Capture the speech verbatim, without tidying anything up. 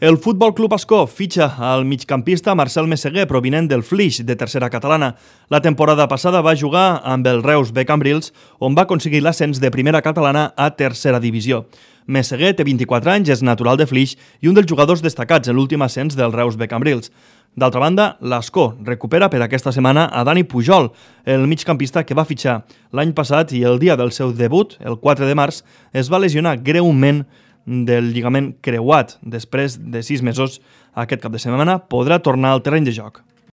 El Futbol Club Ascó fitxa al migcampista Marcel Meseguer, provinent del Flix, de tercera catalana. La temporada passada va jugar amb el Reus B Cambrils, on va aconseguir l'ascens de primera catalana a tercera divisió. Meseguer té vint-i-quatre anys, és natural de Flix i un dels jugadors destacats en l'últim ascens del Reus B Cambrils. D'altra banda, l'Ascó recupera per aquesta setmana a Dani Pujol, el migcampista que va fitxar l'any passat i el dia del seu debut, el quatre de març, es va lesionar greument del lligament creuat. Després de sis mesos, aquest cap de setmana podrà tornar al terreny de joc.